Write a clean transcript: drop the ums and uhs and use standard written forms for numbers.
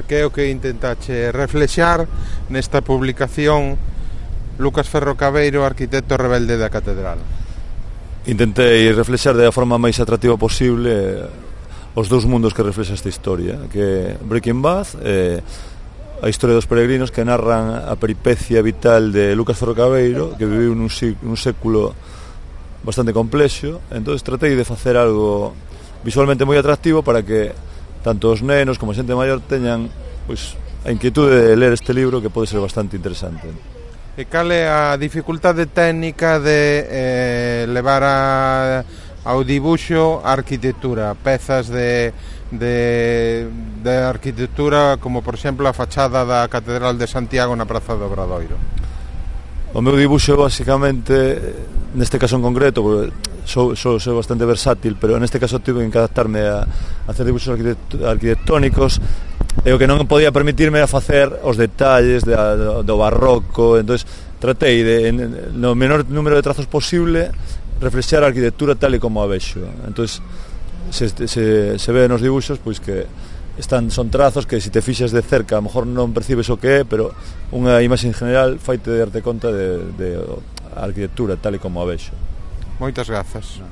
Que é o que intentache reflexar nesta publicación Lucas Ferro Cabeiro, arquitecto rebelde da catedral? Intentei reflexar da forma máis atractiva posible os dous mundos que reflexa esta historia, que é Breaking Bad e a historia dos peregrinos, que narran a peripecia vital de Lucas Ferro Cabeiro, que viviu nun século bastante complexo. Entón tratei de facer algo visualmente moi atractivo para que tanto os nenos como a xente maior teñan pois, a inquietude de ler este libro, que pode ser bastante interesante. E cal é a dificultade técnica de levar ao dibuixo a arquitectura, pezas de arquitectura como por exemplo a fachada da Catedral de Santiago na Praza do Obradoiro? O meu dibuixo basicamente, neste caso en concreto, sou bastante versátil, pero neste caso tive que adaptarme a hacer dibuixos arquitectónicos, e o que non podía permitirme a facer os detalles do barroco. Entón tratei de, no menor número de trazos posible, reflexar a arquitectura tal e como a vexo. Entón se ve nos dibuixos pois que son trazos que se te fixas de cerca a lo mejor non percibes o que é, pero unha imaxe en general faite darte conta de a arquitectura tal e como a vexo. Moitas grazas.